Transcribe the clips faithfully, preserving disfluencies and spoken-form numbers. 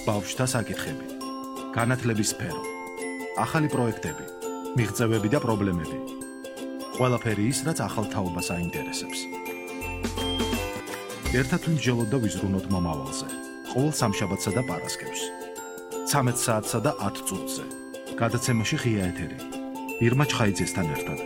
ბავშვთა საკითხები, განათლების სფერო, ახალი პროექტები, მიღწევები და პრობლემები. ყველაფერი ის, რაც ახალ თაობას აინტერესებს. ერთად ვიმსჯელოთ და ვიზრუნოთ მომავალზე. ყოველ სამშაბათსა და პარასკევს. ცამეტ საათსა და ათ წუთზე. გადაცემაში ღია ეთერი. ირმა ჩხაიძესთან ერთად.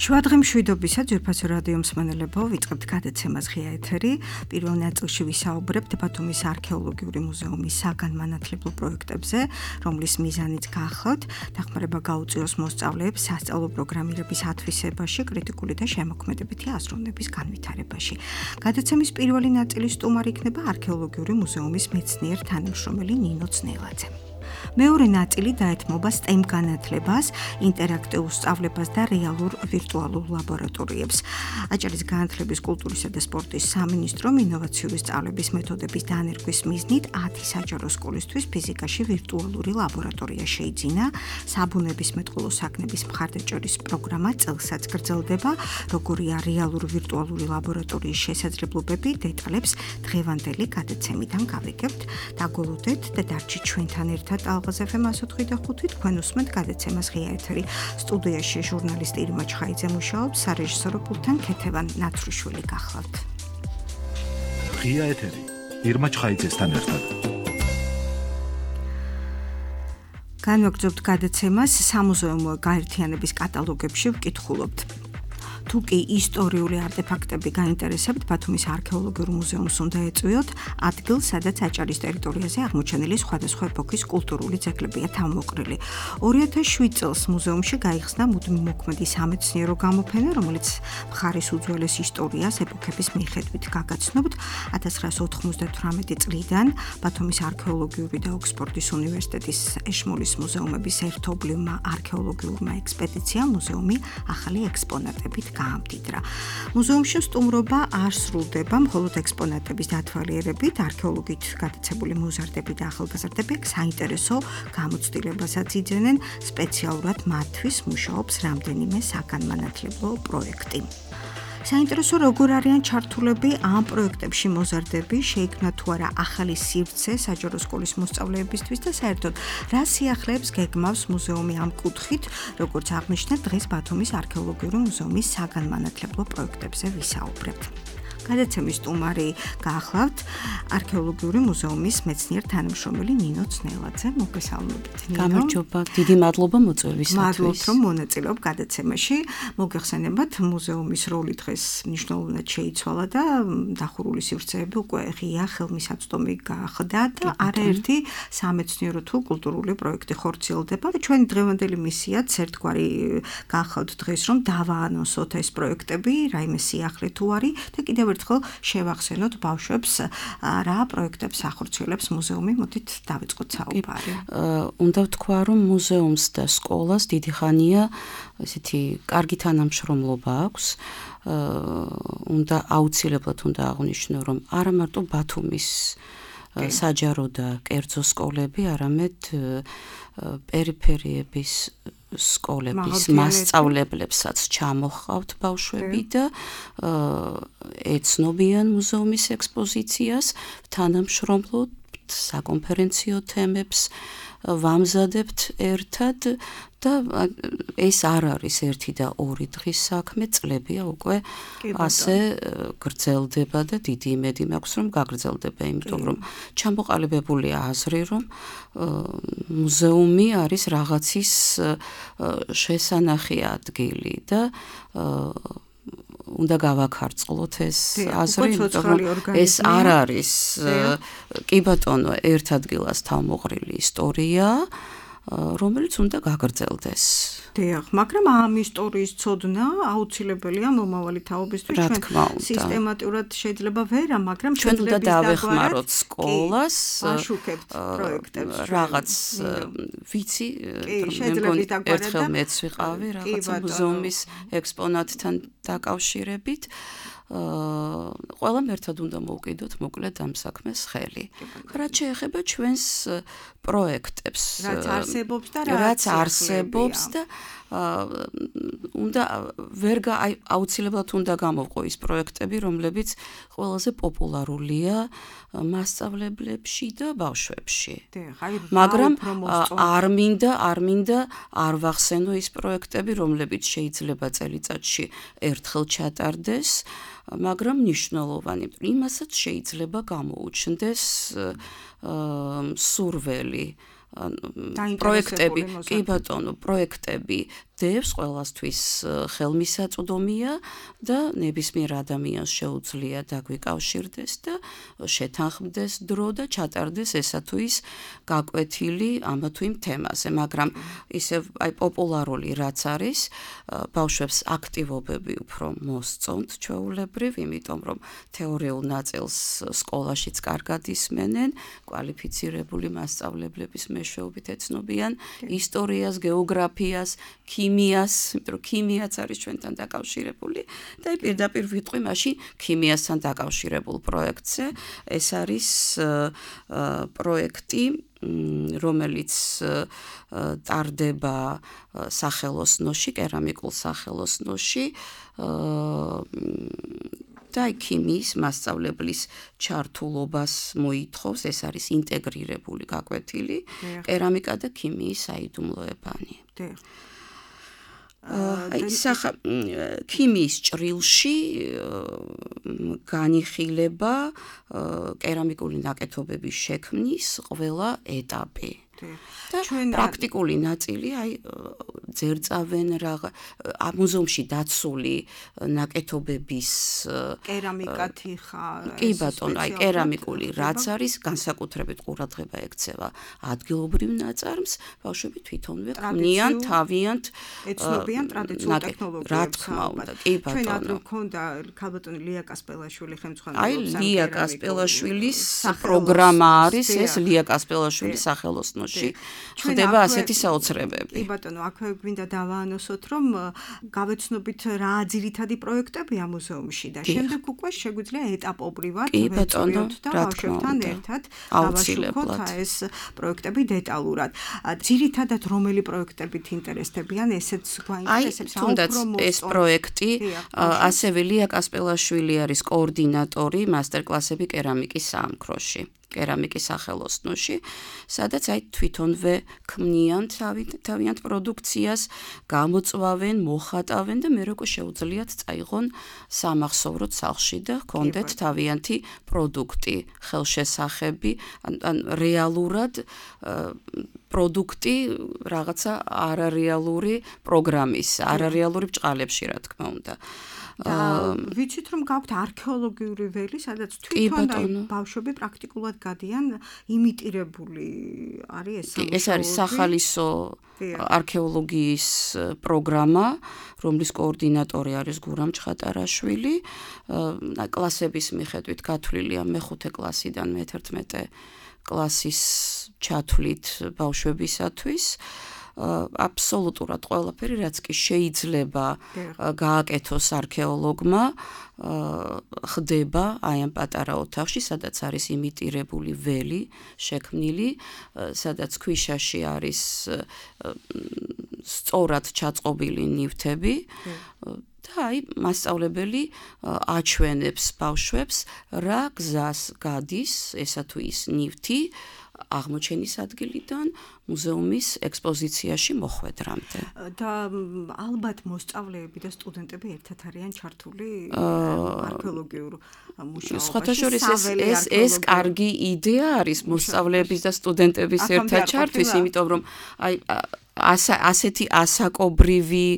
შუადღე მშვიდობისა ძვირფასო რადიო მსმენელებო, ვიწყებთ გადაცემას ღია ეთერი. პირველ ნაწილში ვისაუბრებთ ბათუმის არქეოლოგიური მუზეუმის საგანმანათლებლო პროექტებზე, რომლის მიზანიც გახლავთ დახმარება გაუწიოს მოსწავლეებს სასწავლო პროგრამირების ათვისებაში, კრიტიკული და შემოქმედებითი აზროვნების განვითარებაში. გადაცემის პირველი ნაწილის სტუმარი იქნება არქეოლოგიური მუზეუმის მეცნიერ თანამშრომელი ნინო ძნელაძე. მეორე ნაწილი დაეთმობა STEM განათლებას, ინტერაქტიულ სწავლებას და რეალურ ვირტუალურ ლაბორატორიებს. აჭარის განათლების, კულტურისა და სპორტის სამინისტრომ ინოვაციური სწავლების მეთოდების დანერგვის მიზნით ათი საჯარო სკოლისთვის ფიზიკაში ვირტუალური ლაბორატორია შეიძინა. საბუნების მეტყველო საქმების მხარდაჭერის პროგრამა წელსაც გრძელდება. როგორია რეალურ ვირტუალური ლაბორატორიის შესაძლებლობები, დეტალებს დღევანდელი გადაცემიდან გავიგებთ. დაგოლოდეთ და დარჩით ჩვენთან ერთად ალღაზ ეფ ემ one oh five point five თქვენ უსმენთ გადაცემას ღია ეთერი. სტუდიაში ჟურნალისტი ირმა ჩხაიძე მუშაობს, სარეჟისორო პულტთან ქეთევან ნაცრუშვილი გახლავთ. ღია ეთერი ირმა ჩხაიძესთან ერთად. განვაგრძობთ გადაცემას სამუზეუმო გაერთიანების კატალოგებში ვკითხულობთ. თუ კი ისტორიული არტეფაქტები გაინტერესებთ, ბათუმის არქეოლოგიურ მუზეუმს უნდა ეწვიოთ ადგილს, სადაც აჭარის ტერიტორიაზე აღმოჩენილი სხვადასხვა ეპოქის კულტურული ძეგლებია თავმოყრილი. ორი ათას შვიდ წელს მუზეუმში გაიხსნა მუდმივ მოქმედი სამეცნიერო გამოფენა, რომელიც მხარის უძველეს ისტორიას ეპოქების მიხედვით გაგაცნობთ. ათას ცხრაასი ოთხმოცდათვრამეტი წლიდან ბათუმის არქეოლოგიური და ოქსფორდის უნივერსიტეტის ეშმოლის მუზეუმების ერთობლივმა არქეოლოგიურმა ექსპედიციამ მუზეუმი ახალი ექსპონატებით გაამდიდრა. მუზეუმში სტუმრობა არ სრულდება მხოლოდ ექსპონატების დათვალიერებით, არქეოლოგით გატაცებული მოზარდები და ახალგაზრდები საინტერესო გამოცდილებასაც იძენენ, სპეციალურად მათთვის მუშაობს რამდენიმე საგანმანათლებლო პროექტი. საინტერესო როგორ არიან ჩართულები ამ პროექტებში მოზარდები, შეიქმნა თუ არა ახალი სივრცე საჯარო სკოლის მოსწავლეებისთვის და საერთოდ რა სიახლეებს გეგმავს მუზეუმი ამ კუთხით, როგორც აღნიშნა დღეს ბათუმის არქეოლოგიური მუზეუმის საგანმანათლებლო პროექტებზე ვისაუბრებთ. გადაცემის სტუმარი გახლავთ არქეოლოგიური მუზეუმის მეცნიერ თანამშრომელი ნინო ძნელაძე. მოგესალმებით. გამარჯობა, დიდი მადლობა მოწვევისათვის. მადლობთ, რომ მონაწილეობ გადაცემაში. მოგეხსენებათ, მუზეუმის როლი დღეს მნიშვნელოვნად შეიცვალა და დახურული სივრცეები უკვე ღია ხელმისაწვდომი გახდა და არაერთი სამეცნიერო თუ კულტურული პროექტი ხორციელდება. ჩვენი დღევანდელი მისიაც ერთგვარი გახლავთ დღეს, რომ დავაანონსოთ ეს პროექტები, რაიმე სიახლე თუ არის და კიდევ ერთხელ შევახსენოთ ბავშვებს რა პროექტებს ახორციელებს მუზეუმი. მოდით დავიწყოთ საუბარი. უნდა ვთქვა, რომ მუზეუმს და სკოლას დიდი ხანია ესეთი კარგი თანამშრომლობა აქვს. უნდა აუცილებლად უნდა აღვნიშნო, რომ არა მარტო ბათუმის საჯარო და კერძო სკოლები, არამედ პერიფერიების სკოლების მასწავლებლებსაც ჩამოჰყავთ ბავშვები და ეცნობიან მუზეუმის ექსპოზიციას, თანამშრომლობთ საკონფერენციო თემებს, ვამზადებთ ერთად და ეს არ არის ერთი და ორი დღის საქმე, წლებია უკვე ასე გრძელდება და დიდი იმედი მაქვს, რომ გაგრძელდება, იმიტომ რომ ჩამოყალიბებულია აზრი, რომ მუზეუმი არის რაღაცის შესანახი ადგილი და უნდა გავაქარწყლოთ ეს აზრი, იმიტომ რომ ეს არ არის კი ბატონო ერთ ადგილას თავმოყრილი ისტორია, რომელიც უნდა გაგრძელდეს. დიახ, მაგრამ ამ ისტორიის ცოდნა აუცილებელია მომავალი თაობისთვის. ჩვენ სისტემატურად შეიძლება ვერა, მაგრამ ჩვენ უნდა დავეხმაროთ სკოლას, ვაშუქებთ პროექტებს. რაღაც ვიცი, ერთხელ მეც ვიყავი რაღაცა მუზეუმის ექსპონატთან დაკავშირებით ყველამ ერთად უნდა მოვყიდოთ მოკლედ ამ საქმეს ხელი. რაც შეეხება ჩვენს პროექტებს, რაც არსებობს და რაც არსებობს და უნდა ვერ აუცილებლად უნდა გამოვყო ის პროექტები, რომლებიც ყველაზე პოპულარულია მასწავლებლებში და ბავშვებში. მაგრამ არ მინდა, არ მინდა არ ვახსენო ის პროექტები, რომლებიც შეიძლება წელიწადში ერთხელ ჩატარდეს, მაგრამ მნიშვნელოვანი, იმასაც შეიძლება გამოუჩნდეს სურველი. პროექტები, კი ბატონო, პროექტები დევს ყველასთვის ხელმისაწვდომია და ნებისმიერ ადამიანს შეუძლია დაგვიკავშირდეს და შეთანხმდეს დრო და ჩატარდეს ესა თუ ის გაკვეთილი ამა თუ იმ თემაზე, მაგრამ ისევ აი პოპულარული რაც არის, ბავშვებს აქტივობები უფრო მოსწონთ ჩვეულებრივ, იმიტომ რომ თეორიულ ნაწილს სკოლაშიც კარგად ისმენენ, კვალიფიცირებული მასწავლებლების მეშვეობით ეცნობიან ისტორიას, გეოგრაფიას, ქიმიას, იმიტომ რომ ქიმიაც არის ჩვენთან დაკავშირებული და პირდაპირ ვიტყვი მაშინ ქიმიასთან დაკავშირებულ პროექტზე. ეს არის პროექტი, რომელიც ტარდება სახელოსნოში, კერამიკულ სახელოსნოში და ქიმიის მასწავლებლის ჩართულობას მოითხოვს, ეს არის ინტეგრირებული გაკვეთილი, კერამიკა და ქიმიის საიდუმლოებანი. აი სახა ქიმიის ჭრილში განიხილება კერამიკული ნაკეთობების შექმნის ყველა ეტაპი. და პრაქტიკული ნაწილი აი ძერწავენ რაღა მუზეუმში დაცული ნაკეთობების კერამიკა თიხა კი ბატონო აი კერამიკული რაც არის განსაკუთრებით ყურადღება ექცევა ადგილობრივ ნაწარმს ბავშვები თვითონვე ქმნიან თავიანთ ეცნობიან ტრადიციულ ტექნოლოგიებს რა თქმა უნდა კი ბატონო ჩვენ ადრე მქონდა ქალბატონი ლია კასპელაშვილი ხელმძღვანელობს აი ლია კასპელაშვილის პროგრამა არის ეს ლია კასპელაშვილის სახელოსნოში ხდება ასეთი საოცრებები. კი ბატონო, აქვე გვინდა დავაანონსოთ, რომ გავეცნობით რა ძირითადი პროექტებია მუზეუმში და შემდეგ უკვე შეგვიძლია ეტაპობრივად ვეწოდოთ და ბავშვებთან ერთად დავაშუქოთ ეს პროექტები დეტალურად. ძირითადად რომელი პროექტებით ინტერესდებიან, ესეც გვაინტერესებს თუნდაც ეს პროექტი, ასევე ლია კასპელაშვილი არის კოორდინატორი მასტერკლასები კერამიკის საამქროში. კერამიკის სახელოსნოში, სადაც აი თვითონვე ქმნიან თავიანთ პროდუქციას, გამოწვავენ, მოხატავენ და მე როგორ შეუძლიათ წაიღონ სამახსოვროდ სახლში და ჰქონდეთ თავიანთი პროდუქტი, ხელშესახები, ან რეალურად პროდუქტი რაღაცა არარეალური პროგრამის, არარეალური ბჭყალებში, რა თქმა უნდა. და ვიცით რომ გაქვთ არქეოლოგიური ველი, სადაც თვითონ ბავშვები პრაქტიკულად გადიან იმიტირებული არის ეს ეს არის სახალისო არქეოლოგიის პროგრამა, რომლის კოორდინატორი არის გურამ ჩხატარაშვილი. კლასების მიხედვით გათვლილია მეხუთე კლასიდან მეთერთმეტე კლასის ჩათვლით ბავშვებისათვის. აბსოლუტურად ყველაფერი, რაც კი შეიძლება გააკეთოს არქეოლოგმა, ხდება აი ამ პატარა ოთახში, სადაც არის იმიტირებული ველი შექმნილი, სადაც ქვიშაში არის სწორად ჩაწყობილი ნივთები და აი მასწავლებელი აჩვენებს ბავშვებს, რა გზას გადის ესა თუ ის ნივთი აღმოჩენის ადგილიდან მუზეუმის ექსპოზიციაში მოხვედრამდე. და ალბათ მოსწავლეები და სტუდენტები ერთად არიან ჩართული არქეოლოგიურ მუშაობაში. სხვათა შორის ეს ეს კარგი იდეა არის მოსწავლეების და სტუდენტების ერთად ჩართვის, იმიტომ რომ აი ასეთი ასაკობრივი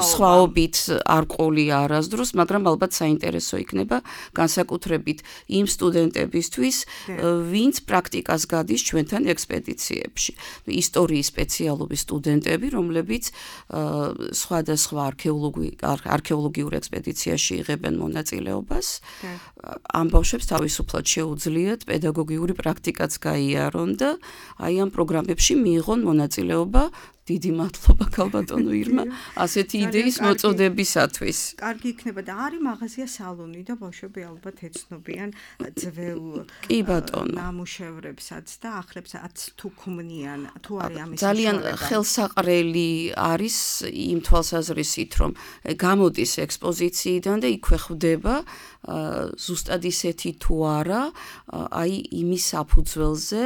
სხვაობით არ ყოლია არასდროს, მაგრამ ალბათ საინტერესო იქნება განსაკუთრებით იმ სტუდენტებისთვის, ვინც პრაქტიკას გადის ჩვენთან ექსპედიციებში. ისტორიის სპეციალობის სტუდენტები, რომლებიც სხვადასხვა არქეოლოგიურ ექსპედიციაში იღებენ მონაწილეობას, ამ ბავშვებს თავისუფლად შეუძლიათ პედაგოგიური პრაქტიკაც გაიარონ და აი ამ პროგრამებში მიიღონ მონაწილეობა დიდი მადლობა ქალბატონო ირმა ასეთი იდეის მოწოდებისათვის. კარგი იქნება და არის მაღაზია სალონი და ბავშვები ალბათ ეცნობიან ძველ კი ბატონო ნამუშევრებსაც და ახლებსაც თუ ქმნიან თუ არის ამის ძალიან ხელსაყრელი არის იმ თვალსაზრისით რომ გამოდის ექსპოზიციიდან და იქვე ხვდება ზუსტად ისეთი თუ არა აი იმის საფუძველზე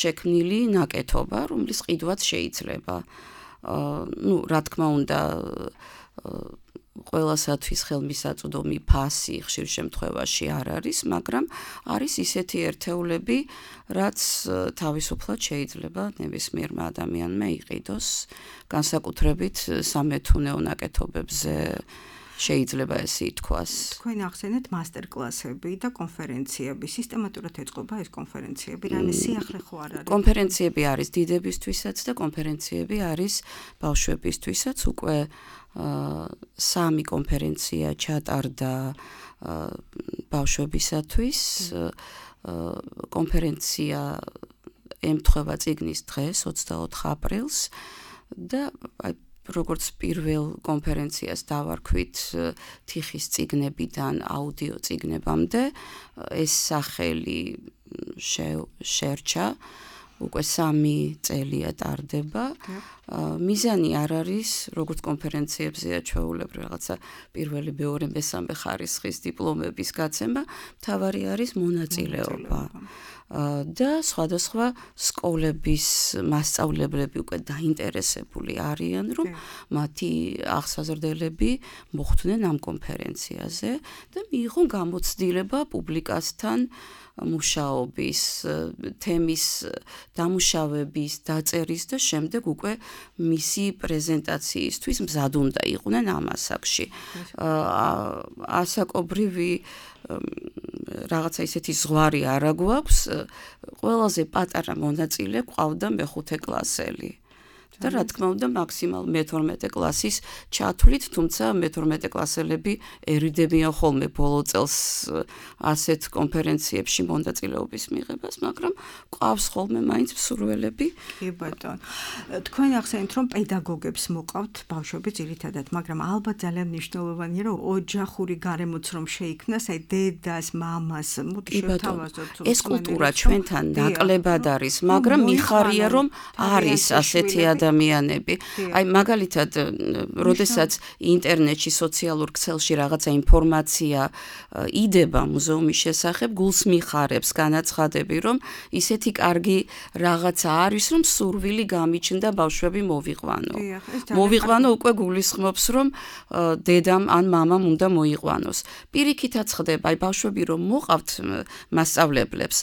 შექმნილი ნაკეთობა რომლის ყიდვაც შეიძლება ну რა თქმა უნდა ყველასათვის ხელმისაწვდომი ფასი ხშირ შემთხვევაში არ არის მაგრამ არის ისეთი ერთეულები რაც თავისუფლად შეიძლება ნებისმიერმა ადამიანმა იყიდოს განსაკუთრებით სამეთუნეო ნაკეთობებზე შეიძლება ესე ითქვას. თქვენ ახსენეთ მასტერკლასები და კონფერენციები. სისტემატურად ეწყობა ეს კონფერენციები, რამე სიახლე ხო არ არის? კონფერენციები არის დიდებისთვისაც და კონფერენციები არის ბავშვებისთვისაც. უკვე სამი კონფერენცია ჩატარდა ბავშვებისათვის. კონფერენცია ემთხვევა წიგნის დღეს ოცდაოთხ აპრილს და აი როგორც პირველ კონფერენციას დავარქვით თიხის წიგნებიდან აუდიო წიგნებამდე ეს სახელი შერჩა უკვე სამი წელია ტარდება მიზანი არ არის როგორც კონფერენციებზეა ჩვეულებრივ რაღაცა პირველი მეორე მესამე ხარისხის დიპლომების გაცემა მთავარი არის მონაწილეობა და სხვადასხვა სკოლების მასწავლებლები უკვე დაინტერესებული არიან რომ მათი აღსაზრდელები მოხვდნენ ამ კონფერენციაზე და მიიღონ გამოცდილება პუბლიკასთან მუშაობის თემის დამუშავების დაწერის და შემდეგ უკვე მისი პრეზენტაციისთვის მზად უნდა იყვნენ ამ ასაკში ასაკობრივი რაღაცა ისეთი ზღვარი არა გვაქვს ყველაზე პატარა მონაწილე ყავდა მეხუთე კლასელი და რა თქმა უნდა მაქსიმალ მეთორმეტე კლასის ჩათვლით თუმცა მეთორმეტე კლასელები ერიდებიან ხოლმე ბოლო წელს ასეთ კონფერენციებში მონაწილეობის მიღებას მაგრამ ყავს ხოლმე მაინც მსურველები კი ბატონო თქვენ ახსენეთ რომ პედაგოგებს მოყავთ ბავშვები ძირითადად მაგრამ ალბათ ძალიან მნიშვნელოვანია რომ ოჯახური გარემოც რომ შეიქმნას აი დედას მამას მოდი შევთავაზოთ ეს კულტურა ჩვენთან ნაკლებად არის მაგრამ მიხარია რომ არის ასეთი ადამიანები. Აი მაგალითად, როდესაც ინტერნეტში, სოციალურ ქსელში რაღაცა ინფორმაცია იდება მუზეუმის შესახებ, გულს მიხარებს განაცხადები, რომ ისეთი კარგი რაღაცა არის, რომ სურვილი გამიჩნდა ბავშვები მოვიყვანო. მოვიყვანო უკვე გულისხმობს, რომ დედამ ან მამამ უნდა მოიყვანოს. პირიქითაც ხდება, აი ბავშვები რომ მოყავთ მასწავლებლებს,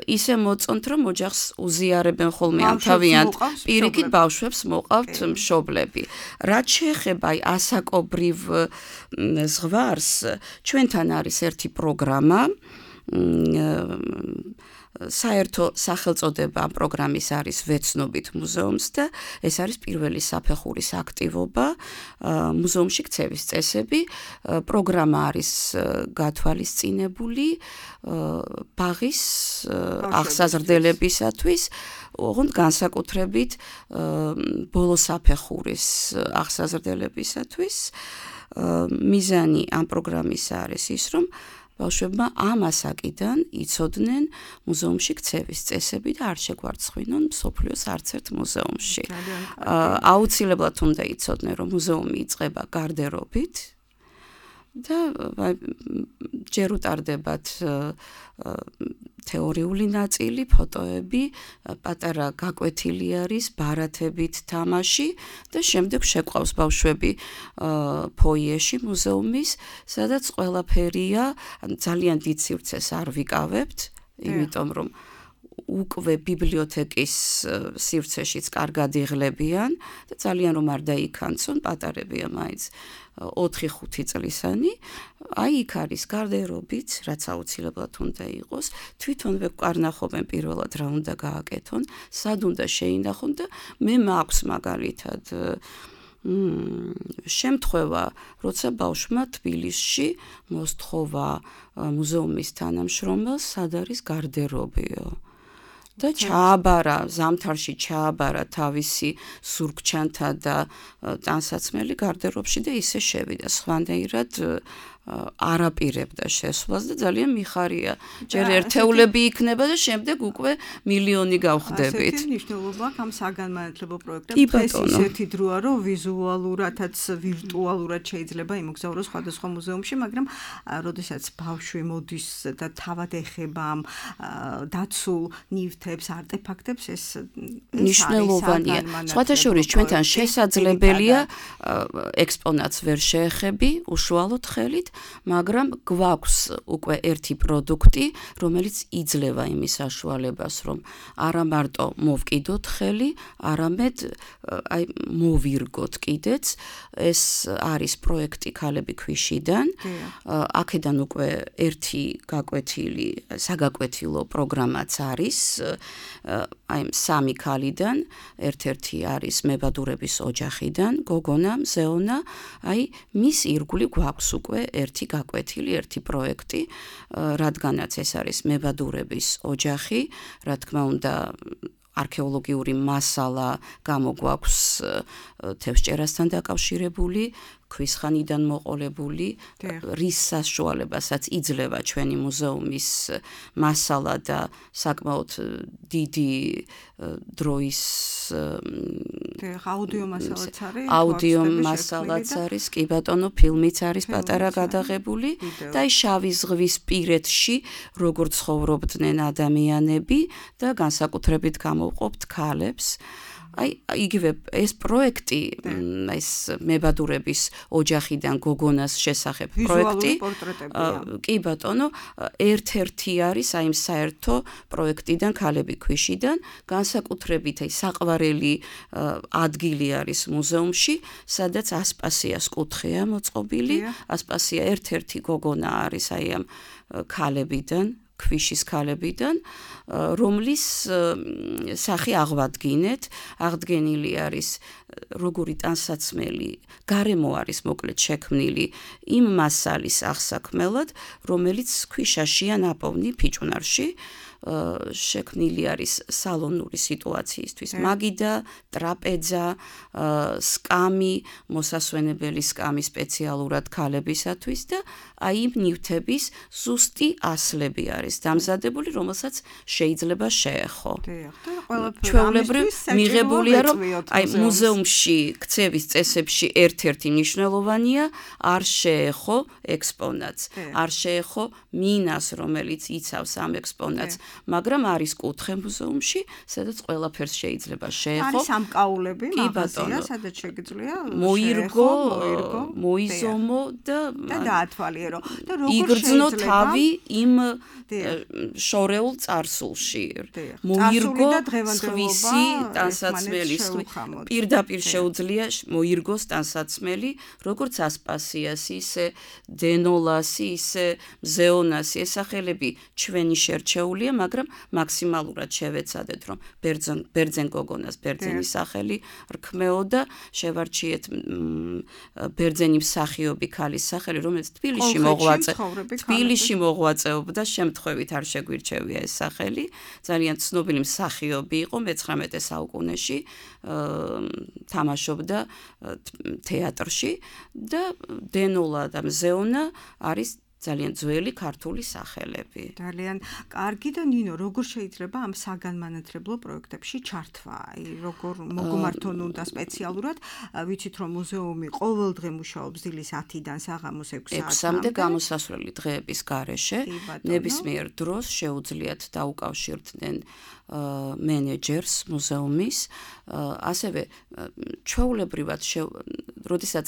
ისე მოწონთ, რომ ოჯახს უზიარებენ ხოლმე ამ თავიანთ პირიქით ბავშვებს მოყავთ მშობლები. რაც შეეხება აი ასაკობრივ ზღვარს, ჩვენთან არის ერთი პროგრამა, საერთო სახელწოდება ამ პროგრამის არის ვეცნობით მუზეუმს და ეს არის პირველი საფეხურის აქტივობა მუზეუმში ქცევის წესები პროგრამა არის გათვალისწინებული ბაღის აღსაზრდელებისათვის ოღონდ განსაკუთრებით ბოლო საფეხურის აღსაზრდელებისათვის მიზანი ამ პროგრამის არის ის რომ ბავშვებმა ამ ასაკიდან იცოდნენ მუზეუმში ქცევის წესები და არ შეგვარცხვინონ მსოფლიოს არც ერთ მუზეუმში. აუცილებლად უნდა იცოდნენ, რომ მუზეუმი იწყება გარდერობით და ჯერ უტარდებათ თეორიული ნაწილი, ფოტოები, პატარა გაკვეთილი არის, ბარათებით თამაში და შემდეგ შეყვავს ბავშვები ფოიეში მუზეუმის, სადაც ყველაფერია, ძალიან დიდ სივრცეს არ ვიკავებთ, იმიტომ რომ უკვე ბიბლიოთეკის სივრცეშიც კარგად იღლებიან და ძალიან რომ არ დაიქანცონ, პატარებია მაინც ოთხი ხუთი წლისანი, აი იქ არის გარდერობით, რაც აუცილებლად უნდა იყოს, თვითონვე ვკარნახობენ პირველად რა უნდა გააკეთონ, სად უნდა შეინახონ და მე მაქვს მაგალითად შემთხვევა, როცა ბავშვმა თბილისში მოსთხოვა მუზეუმის თანამშრომელს, სად არის გარდერობიო. და ჩააბარა ზამთარში ჩააბარა თავისი სურგჩანთა და ტანსაცმელი გარდერობში და ისე შევიდა სხვანაირად არაპირებდა შესვლას და ძალიან მიხარია. ჯერ ერთეულები იქნება და შემდეგ უკვე მილიონი გავხდებით. ასეთი მნიშვნელობა აქვს ამ საგანმანათლებლო პროექტებს. ეს ისეთი დროა, რომ ვიზუალურადაც ვირტუალურად შეიძლება იმოგზაუროს სხვადასხვა მუზეუმში, მაგრამ როდესაც ბავშვი მოდის და თავად ეხება ამ დაცულ ნივთებს, არტეფაქტებს, ეს მნიშვნელოვანია. სხვათა შორის ჩვენთან შესაძლებელია ექსპონატს ვერ შეეხები უშუალოდ ხელით, მაგრამ გვაქვს უკვე ერთი პროდუქტი, რომელიც იძლევა იმის საშუალებას, რომ არა მარტო მოვკიდოთ ხელი, არამედ აი მოვირგოთ კიდეც. ეს არის პროექტი ქალები ქვიშიდან. აქედან უკვე ერთი გაკვეთილი, საგაკვეთილო პროგრამაც არის. აი სამი ქალიდან, ერთ-ერთი არის მებადურების ოჯახიდან, გოგონა, მზეონა, აი მის ირგვლივ გვაქვს უკვე ერთი გაკვეთილი, ერთი პროექტი, რადგანაც ეს არის მებადურების ოჯახი, რა თქმა უნდა არქეოლოგიური მასალა გამოგვაქვს თევზჭერასთან დაკავშირებული, ქვისხანიდან მოყოლებული, რის საშუალებასაც იძლევა ჩვენი მუზეუმის მასალა და საკმაოდ დიდი დროის აუდიო მასალაც არის, აუდიო მასალაც არის, კი ბატონო, ფილმიც არის პატარა გადაღებული და აი შავი ზღვის პირეთში როგორ ცხოვრობდნენ ადამიანები და განსაკუთრებით გამოვყოფთ ქალებს. აი იგივე ეს პროექტი, ეს მებადურების ოჯახიდან გოგონას შესახებ პროექტი, კი ბატონო, ერთ-ერთი არის აი საერთო პროექტიდან ქალები ქვიშიდან, განსაკუთრებით აი საყვარელი ადგილი არის მუზეუმში, სადაც ასპასიას კუთხეა მოწყობილი, ასპასია ერთ-ერთი გოგონა არის აი ამ ქალებიდან, ქვიშის ქალებიდან, რომლის სახე აღვადგინეთ, აღდგენილი არის როგორი ტანსაცმელი, გარემო არის მოკლედ შექმნილი იმ მასალის აღსაქმელად, რომელიც ქვიშაშია ნაპოვნი ფიჭვნარში, შექმნილი არის სალონური სიტუაციისთვის, მაგიდა, ტრაპეზა, სკამი, მოსასვენებელი სკამი სპეციალურად ქალებისათვის და აი იმ ნივთების ზუსტი ასლები არის დამზადებული, რომელსაც შეიძლება შეეხო. ჩვეულებრივ მიღებულია, რომ აი მუზეუმში ქცევის წესებში ერთ-ერთი მნიშვნელოვანია არ შეეხო ექსპონატს, არ შეეხო მინას, რომელიც იცავს ამ ექსპონატს, მაგრამ არის კუთხე მუზეუმში, სადაც ყველაფერს შეიძლება შეეხო. არის სამკაულები, მაღაზია, სადაც შეგიძლია მოირგო, მოიზომო და დაათვალიერო. და როგორ იგრძნო თავი იმ შორეულ წარსულში. მოირგო სხვისი ტანსაცმელი, პირდაპირ შეუძლია მოირგოს ტანსაცმელი, როგორც ასპასიასი, ისე დენოლასი, ისე მზეონასი, ეს სახელები ჩვენი შერჩეულია, მაგრამ მაქსიმალურად შევეცადეთ, რომ ბერძენ ბერძენ გოგონას ბერძენის სახელი რქმეოდა, შევარჩიეთ ბერძენი მსახიობი ქალის სახელი, რომელიც თბილისში მოღვაწე თბილისში მოღვაწეობდა, შემთხვევით არ შეგვირჩევია ეს სახელი, ძალიან ცნობილი მსახიობი იყო მეცხრამეტე საუკუნეში, თამაშობდა თეატრში და დენოლა და მზეონა არის ძალიან ძველი ქართული სახელები. ძალიან კარგი და ნინო, როგორ შეიძლება ამ საგანმანათლებლო პროექტებში ჩართვა? აი, როგორ მოგმართონ უნდა სპეციალურად, ვიცით რომ მუზეუმი ყოველდღე მუშაობს დილის ათიდან საღამოს ექვსი საათამდე გამოსასვლელი დღეების გარეშე, ნებისმიერ დროს შეუძლიათ დაუკავშირდნენ მენეჯერს მუზეუმის, ასევე ჩვეულებრივად, როდესაც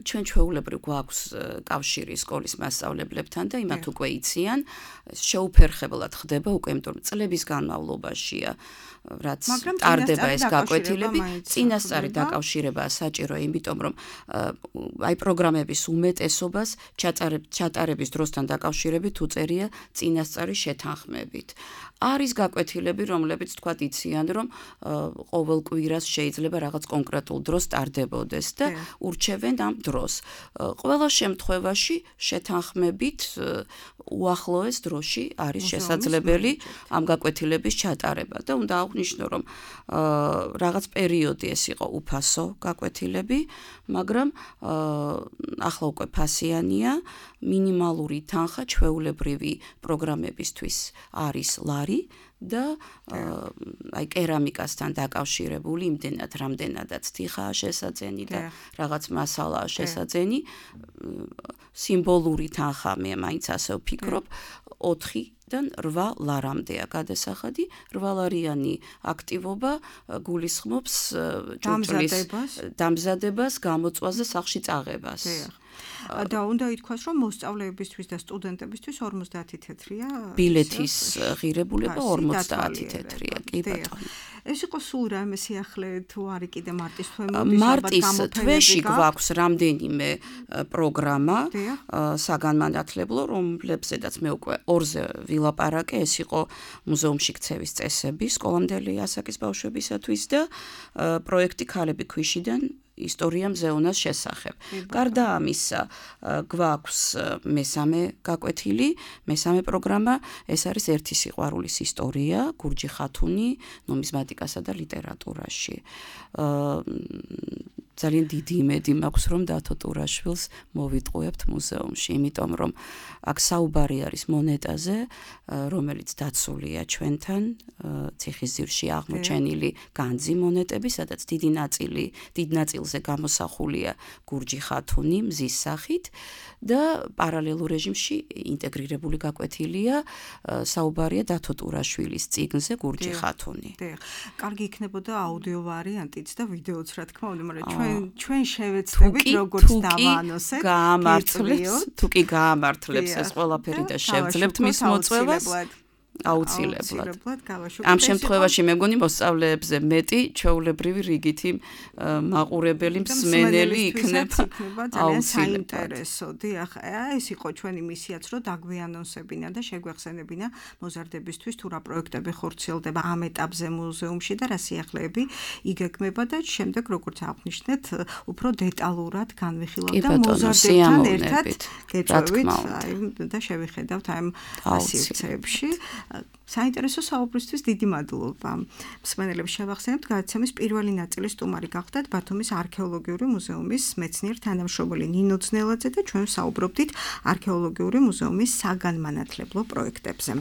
ჩვენ ჩვეულებრივ გვაქვს კავშირი სკოლის მასწავლებლებთან და იმათ უკვე იციან, შეუფერხებლად ხდება უკვე, იმიტომ რომ წლების განმავლობაშია, რაც ტარდება ეს გაკვეთილები, წინასწარი დაკავშირებაა საჭირო, იმიტომ რომ აი პროგრამების უმეტესობას ჩატარების დროსთან დაკავშირებით უწერია წინასწარი შეთანხმებით. არის გაკვეთილები, რომლებიც თქვა იციან, რომ ყოველ კვირას შეიძლება რაღაც კონკრეტულ დროს ტარდებოდეს და ურჩევენ ამ დროს. Ყველა შემთხვევაში შეთანხმებით უახლოეს დროში არის შესაძლებელი ამ გაკვეთილების ჩატარება და უნდა აღვნიშნო, რომ რაღაც პერიოდი ეს იყო უფასო გაკვეთილები, მაგრამ ახლა უკვე ფასიანია, მინიმალური თანხა ჩვეულებრივი პროგრამებისთვის არის ლარი და აი კერამიკასთან დაკავშირებული იმდენად რამდენადაც თიხაა შესაძენი და რაღაც მასალაა შესაძენი სიმბოლური თანხა მე მაინც ასე ვფიქრობ ოთხიდან რვა ლარამდეა გადასახადი რვა ლარიანი აქტივობა გულისხმობს ჭურჭლის დამზადებას გამოწვაზე სახლში წაღებას და უნდა ითქვას, რომ მოსწავლეებისთვის და სტუდენტებისთვის ორმოცდაათი თეთრია ბილეთის ღირებულება ორმოცდაათი თეთრია კი ბატონო ეს იყო სულ რამე სიახლე თუ არის კიდე მარტის თვე მოდის მარტის თვეში გვაქვს რამდენიმე პროგრამა საგანმანათლებლო რომლებზედაც მე უკვე ორზე ვილაპარაკე ეს იყო მუზეუმში ქცევის წესები სკოლამდელი ასაკის ბავშვებისათვის და პროექტი ქალები ქვიშიდან ისტორია მზეონას შესახებ. გარდა ამისა, გვაქვს მესამე გაკვეთილი, მესამე პროგრამა, ეს არის ერთი სიყვარულის ისტორია, გურჯი ხათუნი, ნუმიზმატიკასა და ლიტერატურაში. ძალიან დიდი იმედი მაქვს, რომ დათო ტურაშვილს მოვიტყუებთ მუზეუმში, იმიტომ რომ აქ საუბარი არის მონეტაზე, რომელიც დაცულია ჩვენთან, ციხისძირში აღმოჩენილი განძი მონეტები, სადაც დიდი ნაწილი, დიდ ნაწილზე გამოსახულია გურჯი ხათუნი მზის სახით და პარალელურ რეჟიმში ინტეგრირებული გაკვეთილია საუბარია დათო ტურაშვილის წიგნზე გურჯი ხათუნი. კარგი იქნებოდა აუდიო ვარიანტიც და ვიდეოც რა თქმა უნდა, მაგრამ ჩვენ ჩვენ შევეცდებით როგორც დავაანონსეთ, გაამართლებს, თუ კი გაამართლებს ეს ყველაფერი და შევძლებთ მის მოწვევას. აუცილებლად. ამ შემთხვევაში მე მგონი მოსწავლეებზე მეტი ჩვეულებრივი რიგითი მაყურებელი მსმენელი იქნება ძალიან საინტერესო. დიახ, ეს იყო ჩვენი მისიაც, რომ დაგვიანონსებინა და შეგვეხსენებინა მოზარდებისთვის თუ რა პროექტები ხორციელდება ამ ეტაპზე მუზეუმში და რა სიახლეები იგეგმება და შემდეგ როგორც აღნიშნეთ, უფრო დეტალურად განვიხილავთ და მოზარდებთან ერთად გეწვევით და შევიხედავთ ამ სივრცეებში. საინტერესო საუბრისთვის დიდი მადლობა. მსმენელებს შევახსენებთ, გადაცემის პირველი ნაწილის სტუმარი გახდათ ბათუმის არქეოლოგიური მუზეუმის მეცნიერ თანამშრომელი ნინო ძნელაძე და ჩვენ საუბრობდით არქეოლოგიური მუზეუმის საგანმანათლებლო პროექტებზე.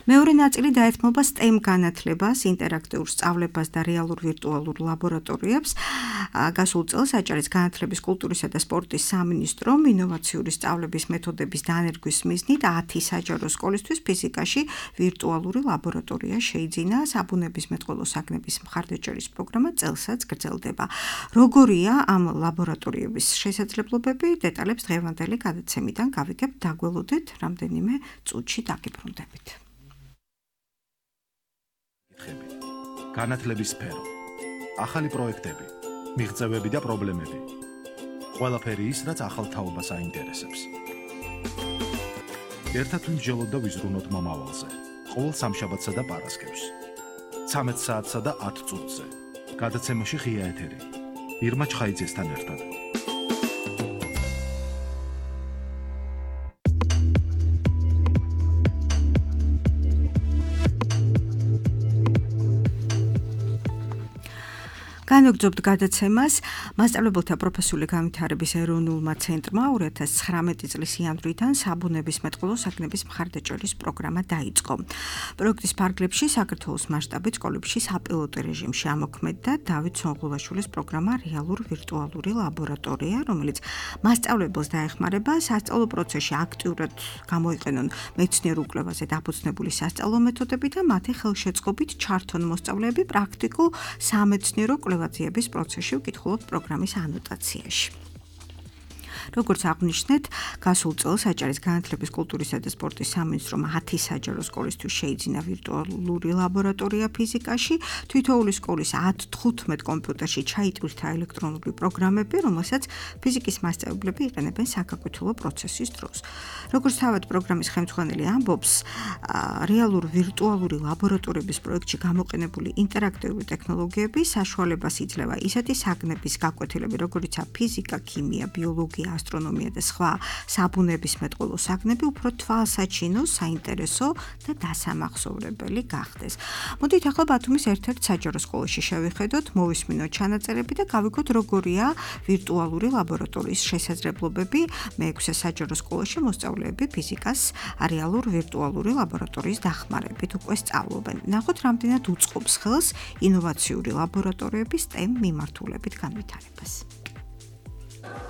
მეორე ნაწილი დაეთმობა STEM განათლებას, ინტერაქტიულ სწავლებას და რეალურ ვირტუალურ ლაბორატორიებს. გასულ წელს აჭარის განათლების, კულტურისა და სპორტის სამინისტრომ ინოვაციური სწავლების მეთოდების დანერგვის მიზნით ათი საჯარო სკოლისთვის ფიზიკაში ვირტუალური ლაბორატორია შეიძინა. საბუნებისმეტყველო საგნების მხარდაჭერის პროგრამა წელსაც გრძელდება. როგორია ამ ლაბორატორიების შესაძლებლობები? დეტალებს დღევანდელი გადაცემიდან გავიგებთ, დაგველოდეთ რამდენიმე წუთში დაგიბრუნდებით. განათლების სფერო, ახალი პროექტები, მიღწევები და პრობლემები. ყველაფერი ის, რაც ახალ თაობას აინტერესებს. ერთად ვიმსჯელოთ და ვიზრუნოთ მომავალზე. ყოველ სამშაბათსა და პარასკევს. ცამეტ საათსა და ათ წუთზე. გადაცემაში ღია ეთერი. ირმა ჩხაიძესთან ერთად. განვაგრძობთ გადაცემას მასწავლებელთა პროფესიული განვითარების ეროვნულმა ცენტრმა ორი ათას ცხრამეტი წლის იანვრიდან საბუნებისმეტყველო საგნების მხარდაჭერის პროგრამა დაიწყო. პროექტის ფარგლებში საქართველოს მასშტაბით სკოლებში საპილოტო რეჟიმში ამოქმედდა დავით სონღულაშვილის პროგრამა რეალურ ვირტუალური ლაბორატორია, რომელიც მასწავლებელს დაეხმარება სასწავლო პროცესში აქტიურად გამოიყენონ მეცნიერ უკვლევაზე დაფუძნებული სასწავლო მეთოდები და მათი ხელშეწყობით ჩართონ მოსწავლეები პრაქტიკულ სამეცნიერო კვლევაზე პროცესში ვკითხულობთ პროგრამის ანოტაციაში. როგორც აღვნიშნეთ, გასულ წელს საჯარის განათლების, კულტურისა და სპორტის სამინისტრომ ათი საჯარო სკოლისთვის შეიძინა ვირტუალური ლაბორატორია ფიზიკაში, თითოეული სკოლის ათ თხუთმეტ კომპიუტერში ჩაიტვირთა ელექტრონული პროგრამები, რომელსაც ფიზიკის მასწავლებლები იყენებენ საგაკვეთილო პროცესის დროს. როგორც თავად პროგრამის ხელმძღვანელი ამბობს, რეალურ ვირტუალური ლაბორატორიების პროექტში გამოყენებული ინტერაქტიული ტექნოლოგიები საშუალებას იძლევა ისეთი საგნების გაკვეთილები, როგორიცაა ფიზიკა, ქიმია, ბიოლოგია, ასტრონომია და სხვა საბუნებისმეტყველო საგნები უფრო თვალსაჩინო, საინტერესო და დასამახსოვრებელი გახდეს. მოდით ახლა ბათუმის ერთ-ერთ საჯარო სკოლაში შევიხედოთ, მოვისმინოთ ჩანაწერები და გავიგოთ, როგორია ვირტუალური ლაბორატორიის შესაძლებლობები მეექვსე საჯარო სკოლაში მოსწავლეები ფიზიკას რეალურ ვირტუალური ლაბორატორიის დახმარებით უკვე სწავლობენ. ნახოთ, რამდენად უწყობს ხელს ინოვაციური ლაბორატორიების STEM მიმართულებით განვითარებას.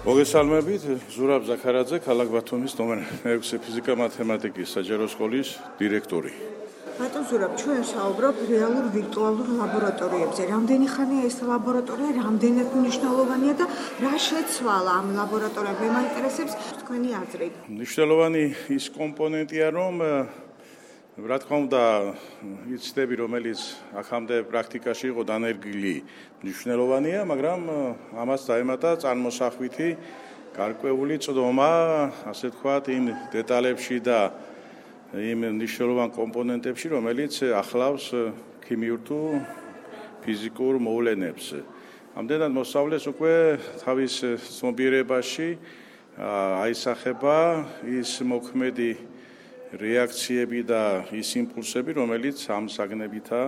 მოგესალმებით, ზურაბ ზაქარაძე, ქალაქ ბათუმის ნომერ მეექვსე ფიზიკა-მათემატიკის საჯარო სკოლის დირექტორი. ბატონ ზურაბ, ჩვენ ვსაუბრობთ რეალურ ვირტუალურ ლაბორატორიებზე. რამდენი ხანია ეს ლაბორატორია, რამდენად მნიშვნელოვანია და რა შეცვალა ამ ლაბორატორიებში? მაინტერესებს თქვენი აზრი. მნიშვნელოვანი ის კომპონენტია, რომ რა თქმა უნდა, იცდები, რომელიც აქამდე პრაქტიკაში იყო დანერგილი, მნიშვნელოვანია, მაგრამ ამას დაემატა წარმოსახვითი გარკვეული წდომა, ასე ვთქვათ, იმ დეტალებში და იმ მნიშვნელოვან კომპონენტებში, რომელიც ახლავს ქიმიურ თუ ფიზიკურ მოვლენებს. ამდენად მოსწავლეს უკვე თავის ცნობიერებაში აისახება ის მოქმედი რეაქციები და ის იმპულსები, რომელიც ამ საგნებითაა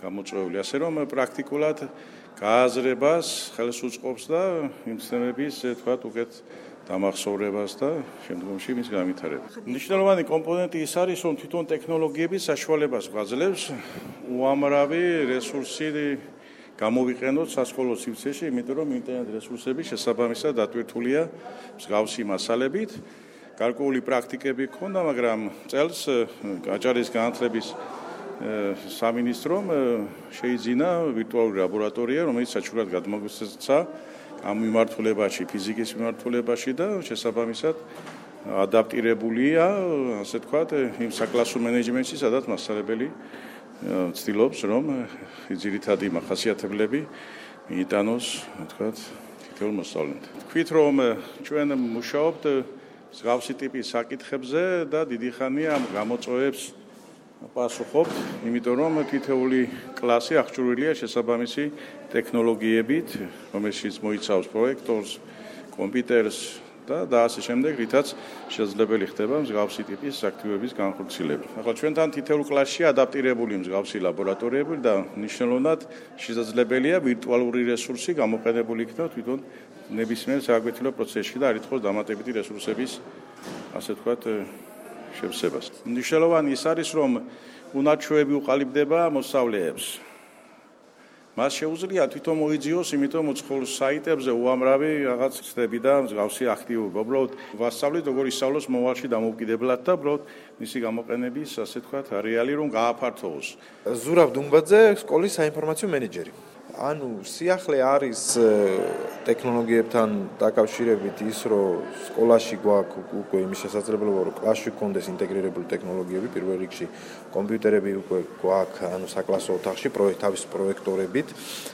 გამოწვეული. ასე რომ პრაქტიკულად გააზრებას ხელს უწყობს და იმ ცნებების, თქვათ, უკეთ დამახსოვრებას და შემდგომში მის განვითარებას. მნიშვნელოვანი კომპონენტი ის არის, რომ თვითონ ტექნოლოგიები საშუალებას გვაძლევს უამრავი რესურსი გამოვიყენოთ სასკოლო სივრცეში, იმიტომ რომ ინტერნეტ რესურსები შესაბამისად დატვირთულია მსგავსი მასალებით. გარკვეული პრაქტიკები ჰქონდა, მაგრამ წელს აჭარის განათლების სამინისტრომ შეიძინა ვირტუალური ლაბორატორია, რომელიც საჩუქრად გადმოგვეცა ამ მიმართულებაში, ფიზიკის მიმართულებაში და შესაბამისად ადაპტირებულია, ასე ვთქვათ, იმ საკლასო მენეჯმენტში, სადაც მასწავლებელი ცდილობს, რომ ძირითადი მახასიათებლები მიიტანოს, ვთქვათ, თითოეულ მოსწავლემ. ვთქვით, რომ ჩვენ მუშაობთ მსგავსი ტიპის საკითხებზე და დიდი ხანია ამ გამოწვევებს პასუხობთ, იმიტომ რომ თითოეული კლასი აღჭურვილია შესაბამისი ტექნოლოგიებით, რომელშიც მოიცავს პროექტორს, კომპიუტერს და და ასე შემდეგ, რითაც შესაძლებელი ხდება მსგავსი ტიპის აქტივობების განხორციელება. ახლა ჩვენთან თითოეულ კლასში ადაპტირებული მსგავსი ლაბორატორიები და მნიშვნელოვნად შესაძლებელია ვირტუალური რესურსი გამოყენებული იქნას თვითონ ნებისმიერ სააკვეთილო პროცესში და არ ითხოვს დამატებითი რესურსების, ასე ვთქვათ, შევსებას. მნიშვნელოვანი ის არის, რომ უნარჩვევები უყალიბდება მოსწავლეებს. მას შეუძლია თვითონ მოიძიოს, იმიტომ უცხოურ საიტებზე უამრავი რაღაც ცდები და მსგავსი აქტივობა. უბრალოდ ვასწავლით, როგორ ისწავლოს მოვალში დამოუკიდებლად და უბრალოდ მისი გამოყენების, ასე ვთქვათ, რეალი რომ გააფართოვოს. ზურაბ დუმბაძე, სკოლის საინფორმაციო მენეჯერი. ანუ სიახლე არის ტექნოლოგიებთან დაკავშირებით ის, რომ სკოლაში გვაქვს უკვე იმის შესაძლებლობა, რომ კლასში გქონდეს ინტეგრირებული ტექნოლოგიები, პირველ რიგში კომპიუტერები უკვე გვაქვს, ანუ საკლასო ოთახში თავის პროექტორებით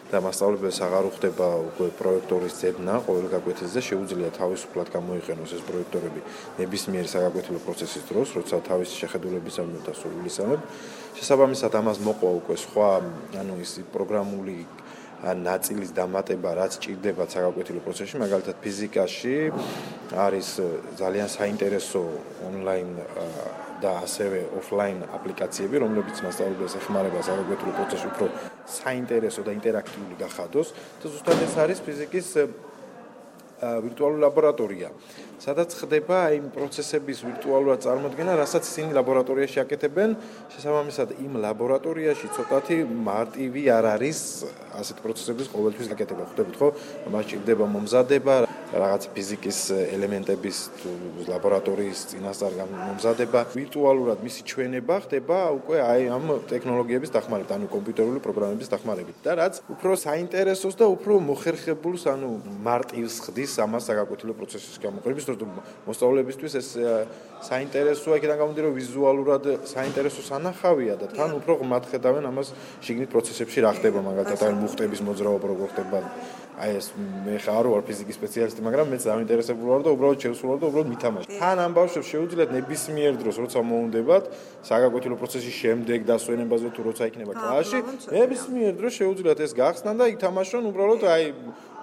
და მასწავლებელს აღარ უხდება უკვე პროექტორის ძებნა ყოველ გაკვეთილზე, შეუძლია თავისუფლად გამოიყენოს ეს პროექტორები ნებისმიერი საგაკვეთილო პროცესის დროს, როცა თავისი შეხედულებისამებრ და სურვილისამებრ. შესაბამისად ამას მოყვა უკვე სხვა, ანუ ის პროგრამული ნაწილის დამატება, რაც ჭირდება საგაკვეთილო პროცესში, მაგალითად ფიზიკაში არის ძალიან საინტერესო ონლაინ და ასევე ოფლაინ აპლიკაციები, რომლებიც მასწავლებელს ეხმარება საგაკვეთილო პროცესში უფრო საინტერესო და ინტერაქტიული გახადოს და ზუსტად ეს არის ფიზიკის ვირტუალური ლაბორატორია, სადაც ხდება იმ პროცესების ვირტუალურად წარმოქმნა, რასაც ისინი ლაბორატორიაში აკეთებენ, შესაბამისად იმ ლაბორატორიაში ცოტათი მარტივი არ არის ასეთ პროცესების ყოველთვის აკეთება. ხვდებით ხო? მას ჭირდება მომზადება, რაღაც ფიზიკის ელემენტების ლაბორატორიის წინასწარ მომზადება, ვირტუალურად მისი ჩვენება ხდება უკვე აი ამ ტექნოლოგიების დახმარებით, ანუ კომპიუტერული პროგრამების დახმარებით და რაც უფრო საინტერესოს და უფრო მოხერხებულს, ანუ მარტივს ხდის ამას საგაკვეთილო პროცესის გამოყენების, თორემ მოსწავლეებისთვის ეს საინტერესოა, იქიდან გამომდინარე ვიზუალურად საინტერესო სანახავია და თან უფრო ღმად ხედავენ ამას შიგნით პროცესებში რა ხდება, მაგალითად აი მუხტების მოძრაობა როგორ ხდება. აი ეს მე ხარ ვარ ფიზიკის სპეციალისტი, მაგრამ მეც დაინტერესებული ვარ და უბრალოდ შევსულ ვარ და უბრალოდ მითამაშე. თან ამ ბავშვებს შეუძლიათ ნებისმიერ დროს, როცა მოუნდებათ, საგაკვეთილო პროცესის შემდეგ დასვენებაზე თუ როცა იქნება კლასში, ნებისმიერ დროს შეუძლიათ ეს გახსნან და ითამაშონ უბრალოდ აი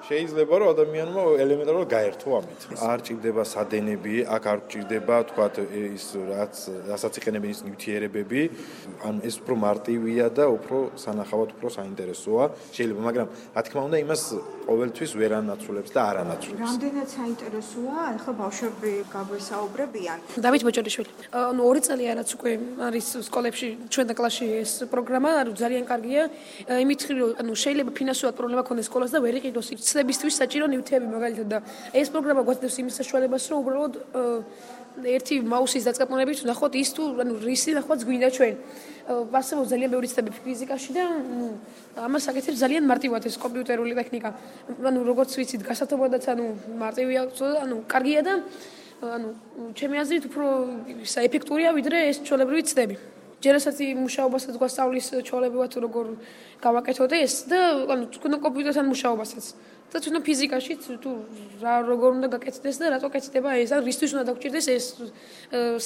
შეიძლება რომ ადამიანმა ელემენტარულად გაერთო ამით. არ ჭირდება სადენები, აქ არ ჭირდება თქვათ ის რაც რასაც იყენებენ ის ნივთიერებები, ანუ ეს უფრო მარტივია და უფრო სანახავად უფრო საინტერესოა. შეიძლება, მაგრამ რა თქმა უნდა იმას ყოველთვის ვერ ანაცვლებს და არ ანაცვლებს. რამდენად საინტერესოა, ახლა ბავშვები გაგვესაუბრებიან. დავით მოჭელიშვილი. ანუ ორი წელია რაც უკვე არის სკოლებში, ჩვენ და კლასში ეს პროგრამა, ანუ ძალიან კარგია. იმით რომ ანუ შეიძლება ფინანსურად პრობლემა ქონდეს სკოლას და ვერ იყიდოს ცნებისთვის საჭირო ნივთები მაგალითად და ეს პროგრამა გვაძლევს იმის საშუალებას, რომ უბრალოდ ერთი მაუსის დაწყებონებით ვნახოთ ის თუ ანუ რისი ნახვაც გვინდა ჩვენ. არსებობს ძალიან ბევრი ცნები ფიზიკაში და ამას აკეთებს ძალიან მარტივად ეს კომპიუტერული ტექნიკა. ანუ როგორც ვიცით, გასათობადაც ანუ მარტივია, ანუ კარგია და ანუ ჩემი აზრით უფრო საეფექტურია ვიდრე ეს ჩვეულებრივი ცნები. ჯერასაც მუშაობასაც გვასწავლის ჩვეულებრივად როგორ გავაკეთოთ ეს და ანუ თქვენ კომპიუტერთან მუშაობასაც და თვითონ ფიზიკაში თუ რა როგორ უნდა გაკეთდეს და რატო კეთდება ეს ან რისთვის უნდა დაგჭირდეს ეს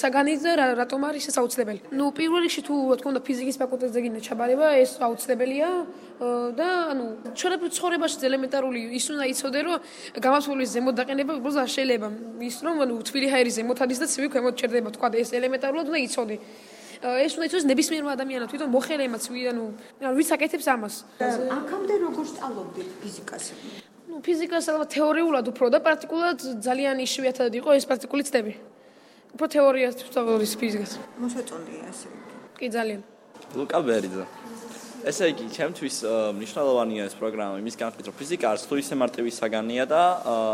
საგანი და რატომ არის ეს აუცილებელი. ნუ პირველ რიგში თუ რა თქმა უნდა ფიზიკის ფაკულტეტზე გინდა ჩაბარება ეს აუცილებელია და ანუ ჩვენებრივ ცხოვრებაში ელემენტარული ის უნდა იცოდე რომ გამართულის ზემოთ დაყენება უბრალოდ არ შეიძლება ის რომ ანუ თბილი ჰაერი ზემოთ არის და ცივი ქვემოთ ჩერდება თქვა ეს ელემენტარულად უნდა იცოდე. ეს უნდა იცოდეს ნებისმიერმა ადამიანმა თვითონ მოხელემაც ანუ ვიც აკეთებს ამას. აქამდე როგორ სწავლობდით ფიზიკას? ნუ ფიზიკას ალბათ თეორიულად უფრო და პრაქტიკულად ძალიან იშვიათად იყო ეს პრაქტიკული ცდები. უფრო თეორიას ვსწავლობთ ფიზიკას. მოსაწონია ესე. კი ძალიან. ლუკა ბერიძე. ესე იგი, ჩემთვის მნიშვნელოვანია ეს პროგრამა იმის განხილვის, რომ ფიზიკა არც თუ ისე მარტივი საგანია და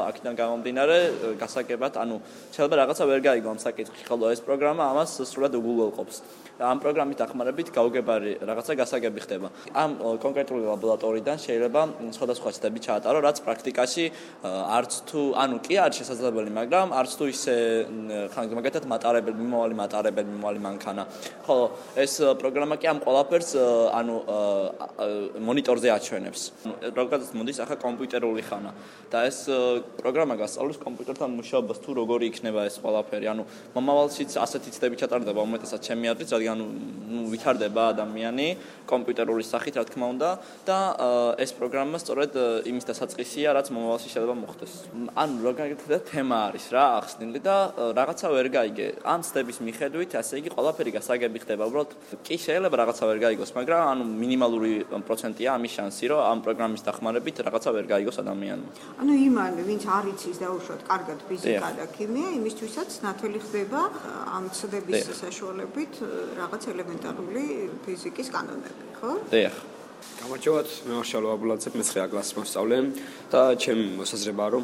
აქედან გამომდინარე გასაგებად, ანუ შეიძლება რაღაცა ვერ გაიგო ამ საკითხში, ხოლო ეს პროგრამა ამას სრულად უგულველყოფს. და ამ პროგრამის დახმარებით გაუგებარი რაღაცა გასაგები ხდება. ამ კონკრეტული ლაბორატორიიდან შეიძლება სხვადასხვა ცდები ჩაატარო, რაც პრაქტიკაში არც თუ, ანუ კი არის შესაძლებელი, მაგრამ არც თუ ისე მაგალითად მატარებელი, მიმავალი მატარებელი, მიმავალი მანქანა. ხოლო ეს პროგრამა კი ამ ყველაფერს ანუ მონიტორზე აჩვენებს. როგორიც მოდის ახლა კომპიუტერული ხანა და ეს პროგრამა გასწავლის კომპიუტერთან მუშაობას თუ როგორი იქნება ეს ყველაფერი. ანუ მომავალშიც ასეთი ცდები ჩატარდება უმეტესად ჩემი აზრით, რადგან ნუ ვითარდება ადამიანი კომპიუტერული სახით, რა თქმა უნდა, და ეს პროგრამა სწორედ იმის დასაწყისია, რაც მომავალში შეიძლება მოხდეს. ანუ როგორი თემა არის რა ახსნილი და რაღაცა ვერ გაიგე. ამ ცდების მიხედვით, ასე იგი ყველაფერი გასაგები ხდება. უბრალოდ კი შეიძლება რაღაცა ვერ გაიგოს, მაგრამ ანუ მინიმალური პროცენტია ამის შანსი, რომ ამ პროგრამის დახმარებით რაღაცა ვერ გაიგოს ადამიანმა. ანუ იმან, ვინც არ იცის დაუშვათ კარგად ფიზიკა და ქიმია, იმისთვისაც ნათელი ხდება ამ ცდების საშუალებით რაღაც ელემენტარული ფიზიკის კანონები, ხო? დიახ. გამარჯობათ, მე მარშალო აბულაძე, მეცხრე კლასის მოსწავლე და ჩემი მოსაზრებაა, რომ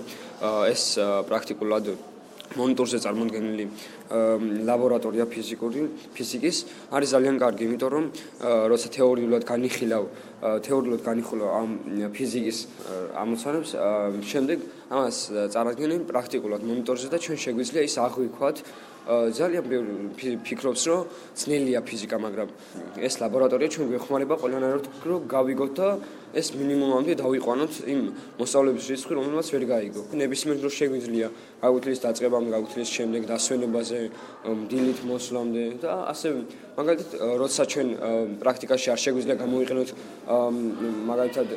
ეს პრაქტიკულად მონიტორზე წარმოდგენილი ლაბორატორია ფიზიკური ფიზიკის არის ძალიან კარგი, იმიტომ რომ როცა თეორიულად განიხილავ თეორიულად განიხილავ ამ ფიზიკის ამოცანებს, შემდეგ ამას წარადგენენ პრაქტიკულად მონიტორზე და ჩვენ შეგვიძლია ის აღვიქვათ. ძალიან ბევრი ფიქრობს, რომ ძნელია ფიზიკა, მაგრამ ეს ლაბორატორია ჩვენ გვეხმარება ყველანაირად, რომ გავიგოთ და ეს მინიმუმამდე დავიყვანოთ იმ მოსწავლეების რიცხვი, რომელმაც ვერ გაიგო. ნებისმიერ დროს შეგვიძლია გაგვიძლიეს დაწყებამდე, გაგვიძლიეს შემდეგ დასვენებაზე, დილით მოსვლამდე და ასე მაგალითად, როცა ჩვენ პრაქტიკაში არ შეგვიძლია გამოვიყენოთ მაგალითად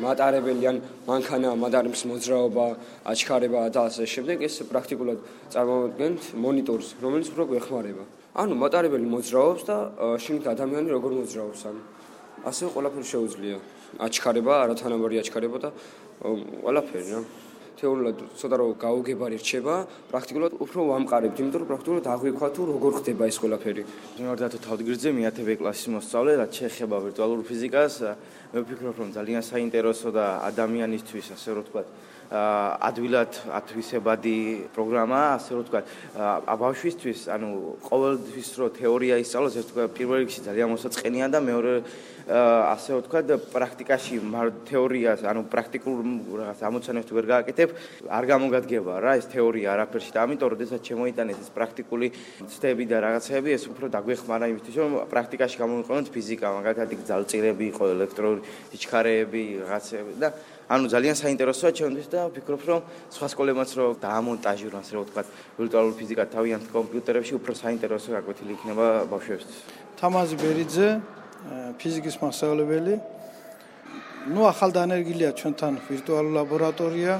მატარებელი ან მანქანა, მატარების მოძრაობა, აჩქარება და ასე შემდეგ, ეს პრაქტიკულად წარმოვიდგენთ მონიტორს, რომელიც უფრო გვეხმარება. ანუ მატარებელი მოძრაობს და შიგნით ადამიანი როგორ მოძრაობს, ანუ ასე ყველაფერი შეუძლია. აჩქარება, არათანაბარი აჩქარება და ყველაფერი რა. თეორიულად ცოტა რომ გაუგებარი რჩება, პრაქტიკულად უფრო ვამყარებთ, იმიტომ რომ პრაქტიკულად აღვიქვა თუ როგორ ხდება ეს ყველაფერი. მე ვარ დათო თავდგირძე, მეათე ბ კლასის მოსწავლე, რაც შეეხება ვირტუალურ ფიზიკას, მე ვფიქრობ, რომ ძალიან საინტერესო და ადამიანისთვის, ასე რომ ვთქვათ, ადვილად ათვისებადი პროგრამაა, ასე რომ ვთქვათ, ბავშვისთვის, ანუ ყოველთვის რო თეორია ისწავლოს, ეს თქვა პირველ რიგში ძალიან მოსაწყენია და მეორე ასე რომ ვთქვათ, პრაქტიკაში თეორიას, ანუ პრაქტიკულ რაღაც ამოცანებს თუ ვერ გააკეთებ, არ გამოგადგება რა ეს თეორია არაფერში და ამიტომ როდესაც შემოიტანეს ეს პრაქტიკული ცდები და რაღაცები, ეს უფრო დაგვეხმარა იმისთვის, რომ პრაქტიკაში გამოვიყენოთ ფიზიკა, მაგალითად გძალწირები იყო, ელექტრული სიჩქარეები, რაღაცები და ანუ ძალიან საინტერესოა ჩემთვის და ვფიქრობ, რომ სხვა სკოლებმაც რო დაამონტაჟირონ, ასე რომ ვთქვათ, ვირტუალური ფიზიკა თავიანთ კომპიუტერებში უფრო საინტერესო გაკვეთილი იქნება ბავშვებისთვის. თამაზი ბერიძე, ფიზიკის მასწავლებელი. ნუ ახალ დანერგილია ჩვენთან ვირტუალური ლაბორატორია.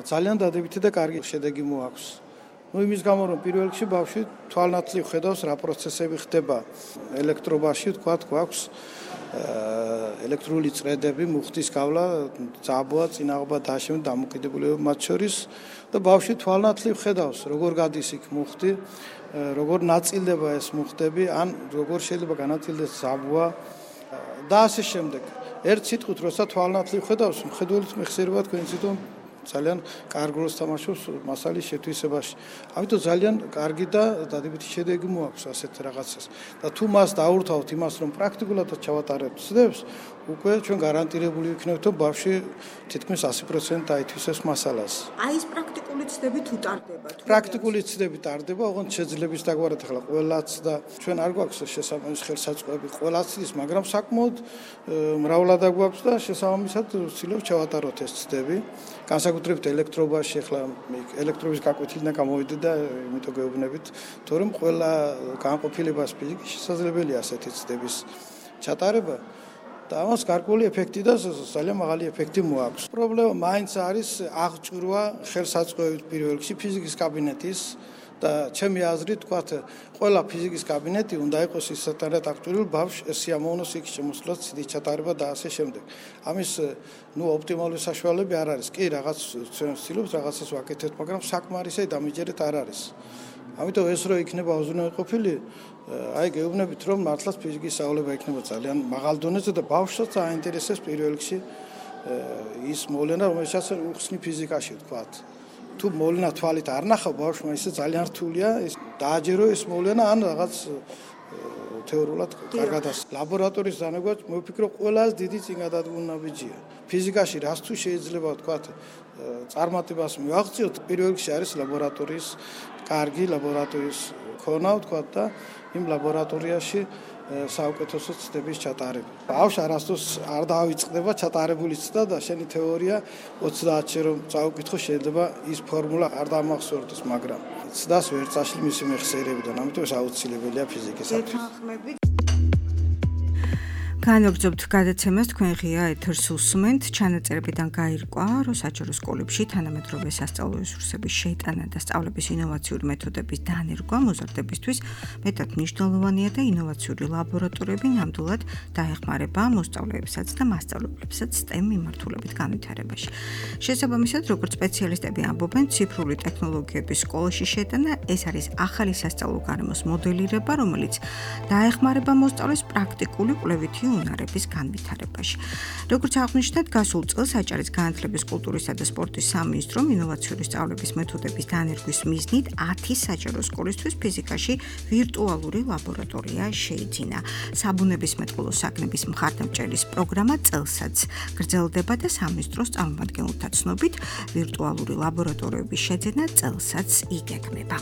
ძალიან დადებითი და კარგი შედეგი მოაქვს. ნუ იმის გამო რომ პირველ რიგში ბავშვი თვალნათლივ ხედავს რა პროცესები ხდება ელექტრობაში, ვთქვათ, გვაქვს ელექტრული წრედები, მუხტის გავლა, ძაბვა, წინაღობა და ამ დამოკიდებულება მათ შორის და ბავშვი თვალნათლივ ხედავს, როგორ გადის იქ მუხტი, როგორ ნაწილდება ეს მუხტები, ან როგორ შეიძლება განაწილდეს ძაბვა და ასე შემდეგ. ერთ სიტყვით, როცა თვალნათლივ ხედავს, მხედველით მეხსიერება თქვენ თვითონ ძალიან კარგ როლს თამაშობს მასალის შეთვისებაში. ამიტომ ძალიან კარგი და დადებითი შედეგი მოაქვს ასეთ რაღაცას. და თუ მას დაურთავთ იმას, რომ პრაქტიკულადაც ჩავატარებთ ცდებს, უკვე ჩვენ გარანტირებული ვიქნებთ, რომ ბავშვი თითქმის ასი პროცენტი დაითვისებს მასალას. აი ეს პრაქტიკული ცდები თუ ტარდება? პრაქტიკული ცდები ტარდება, ოღონდ შეძლებს დაგვარად ახლა ყველაც და ჩვენ არ გვაქვს შესაბამის ხელსაწყოები ყველაც ის, მაგრამ საკმაოდ მრავლად გვაქვს და შესაბამისად ვცდილობ ჩავატაროთ ეს ცდები. განსაკუთრებით ელექტრობაში, ახლა ელექტრობის გაკვეთილიდან გამოვიდე და იმიტომ გეუბნებით, თორემ ყველა განყოფილებას ფიზიკის შესაძლებელია ასეთი ცდების ჩატარება. და ამას გარკვეული ეფექტი და ძალიან მაღალი ეფექტი მოაქვს. პრობლემა მაინც არის აღჭურვა ხელსაწყოებით პირველ რიგში ფიზიკის კაბინეტის და ჩემი აზრით, თქვათ, ყველა ფიზიკის კაბინეტი უნდა იყოს ისეთად აღჭურვილ ბავშვს სიამოვნოს იქ შემოსვლას, ცდის ჩატარება და ასე შემდეგ. ამის ნუ ოპტიმალური საშუალებები არ არის. კი, რაღაც ჩვენ ვცდილობთ რაღაცას ვაკეთებთ, მაგრამ საკმარისი დამიჯერეთ არ არის. ამიტომ ეს რო იქნება უზრუნველყოფილი, აი გეუბნებით, რომ მართლაც ფიზიკის სწავლება იქნება ძალიან მაღალ დონეზე და ბავშვსაც აინტერესებს პირველ რიგში ის მოვლენა, რომელსაც უხსნი ფიზიკაში, ვთქვათ. თუ მოვლენა თვალით არ ნახავ ბავშვმა, ისე ძალიან რთულია ის დააჯერო ეს მოვლენა ან რაღაც თეორიულად კარგად არის. ლაბორატორიის დანერგვა მოვიფიქრო ყველას დიდი წინგადადგმულნაბიჯია. ფიზიკაში რაც თუ შეიძლება ვთქვათ წარმატებას მივაღწიოთ, პირველ რიგში არის ლაბორატორიის კარგი ლაბორატორიის ქონა, ვთქვათ და იმ ლაბორატორიაში საუკეთესო ცდების ჩატარება. ბავშვს არასდროს არ დაავიწყდება ჩატარებული ცდა და შენი თეორია ოცდაათში რომ წაუკითხო შეიძლება ის ფორმულა არ დამახსოვრდეს, მაგრამ ცდას ვერ წაშლი მისი მეხსიერებიდან, ამიტომ ეს აუცილებელია ფიზიკისათვის. განვაგრძობთ გადაცემას, თქვენ ღია ეთერს უსმენთ. ჩანაწერებიდან გაირკვა, რომ საჯარო სკოლებში თანამედროვე სასწავლო რესურსების შეტანა და სწავლების ინოვაციური მეთოდების დანერგვა მოზარდებისთვის მეტად მნიშვნელოვანია და ინოვაციური ლაბორატორიები ნამდვილად დაეხმარება მოსწავლეებსაც და მასწავლებლებსაც STEM მიმართულებით განვითარებაში. შესაბამისად, როგორც სპეციალისტები ამბობენ, ციფრული ტექნოლოგიების სკოლაში შეტანა ეს არის ახალი სასწავლო გარემოს მოდელირება, რომელიც დაეხმარება მოსწავლეს პრაქტიკული კვლევითი უნარების განვითარებაში. როგორც აღნიშნეთ, გასულ წელს აჭარის განათლების, კულტურისა და სპორტის სამინისტრომ ინოვაციური სწავლების მეთოდების დანერგვის მიზნით ათი საჯარო სკოლისთვის ფიზიკაში ვირტუალური ლაბორატორია შეიძინა. საბუნებისმეტყველო საქმების მხარდამჭერის პროგრამა წელსაც გრძელდება და სამინისტროს წარმომადგენელთა ცნობით ვირტუალური ლაბორატორიების შეძენა წელსაც იგეგმება.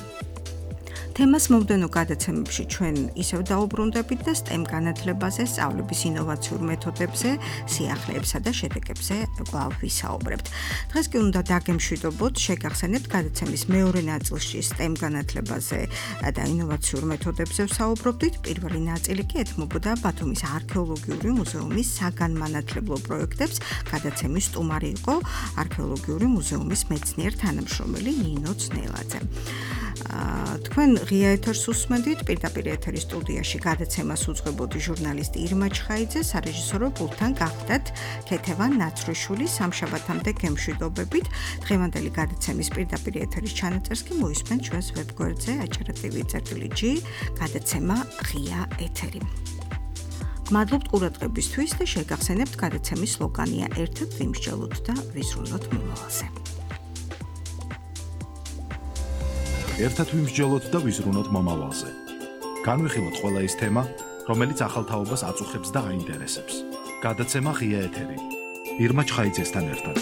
თემას მომდევნო გადაცემებში ჩვენ ისევ დაუბრუნდებით და STEM განათლებაზე, სწავლების ინოვაციურ მეთოდებზე, სიახლეებსა და შედეგებზე კვლავ ვისაუბრებთ. დღეს კი უნდა დაგემშვიდობოთ, შეგახსენებთ გადაცემის მეორე ნაწილში STEM განათლებაზე და ინოვაციურ მეთოდებზე ვსაუბრობდით. პირველი ნაწილი კი ეთმობოდა ბათუმის არქეოლოგიური მუზეუმის საგანმანათლებლო პროექტებს. გადაცემის სტუმარი იყო არქეოლოგიური მუზეუმის მეცნიერ თანამშრომელი ნინო ძნელაძე. თქვენ ღია ეთერს უსმენდით, პირდაპირ ეთერის სტუდიაში გადაცემას უძღვებოდი ჟურნალისტი ირმა ჩხაიძე, სარეჟისორო პულტთან გახდათ ქეთევან ნაცრიშვილი. სამშაბათამდე გემშვიდობებით. დღევანდელი გადაცემის პირდაპირ ეთერის ჩანაწერს კი მოისმენთ ჩვენს ვებგვერდზე acara.tv.gr გადაცემა ღია ეთერი. მადლობთ ყურადღებისთვის და შეგახსენებთ გადაცემის სლოგანია ერთად ვიმსჯელოთ და ვიზრუნოთ მომავალზე. ერთად ვიმსჯელოთ და ვიზრუნოთ მომავალზე. განვიხილოთ ყველა ის თემა, რომელიც ახალ თაობას აწუხებს და აინტერესებს. გადაცემა ღია ეთერი. ირმა ჩხაიძესთან ერთად.